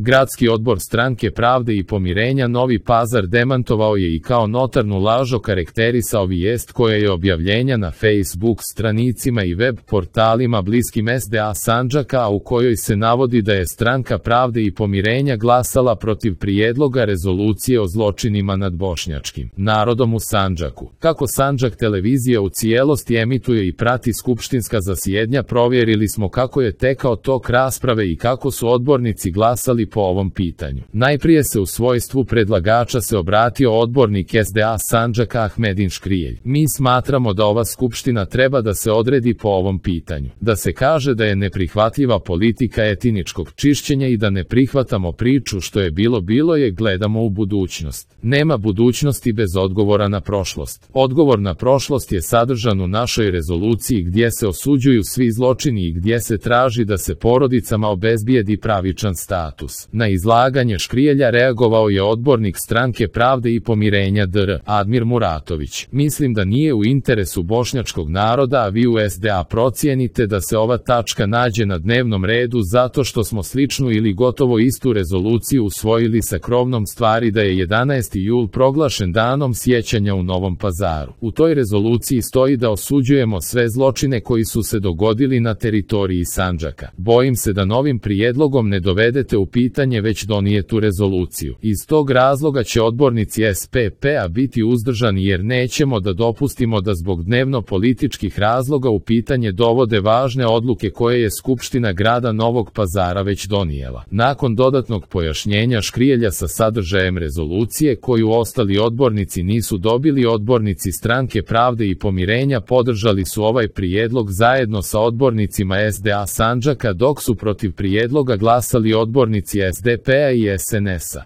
Gradski odbor Stranke pravde i pomirenja Novi Pazar demantovao je i kao notarnu laž okarakterisao vijest koja je objavljenja na Facebook stranicima i web portalima bliskim SDA Sandžaka, a u kojoj se navodi da je Stranka pravde i pomirenja glasala protiv prijedloga rezolucije o zločinima nad bošnjačkim narodom u Sandžaku. Kako Sandžak televizija u cijelosti emituje i prati skupštinska zasjedanja, provjerili smo kako je tekao tok rasprave i kako su odbornici glasali po ovom pitanju. Najprije se u svojstvu predlagača se obratio odbornik SDA Sandžaka Ahmedin Škrijelj. Mi smatramo da ova skupština treba da se odredi po ovom pitanju. Da se kaže da je neprihvatljiva politika etničkog čišćenja i da ne prihvatamo priču što je bilo je, gledamo u budućnost. Nema budućnosti bez odgovora na prošlost. Odgovor na prošlost je sadržan u našoj rezoluciji gdje se osuđuju svi zločini i gdje se traži da se porodicama obezbijedi pravičan status. Na izlaganje Škrijelja reagovao je odbornik Stranke pravde i pomirenja Dr. Admir Muratović. Mislim da nije u interesu bošnjačkog naroda, a vi u SDA procijenite da se ova tačka nađe na dnevnom redu zato što smo sličnu ili gotovo istu rezoluciju usvojili sa krovnom stvari da je 11. jul proglašen danom sjećanja u Novom Pazaru. U toj rezoluciji stoji da osuđujemo sve zločine koji su se dogodili na teritoriji Sandžaka. Bojim se da novim prijedlogom ne dovedete u pitanje već donijetu rezoluciju. Iz tog razloga će odbornici SPP-a biti uzdržani jer nećemo da dopustimo da zbog dnevno političkih razloga u pitanje dovode važne odluke koje je Skupština grada Novog Pazara već donijela. Nakon dodatnog pojašnjenja Škrijelja sa sadržajem rezolucije koju ostali odbornici nisu dobili, odbornici Stranke pravde i pomirenja podržali su ovaj prijedlog zajedno sa odbornicima SDA Sandžaka, dok su protiv prijedloga glasali odbornici SDP-a i SNS-a.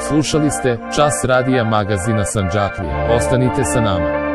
Slušali ste Čas radija magazina Sandžaklije. Ostanite sa nama.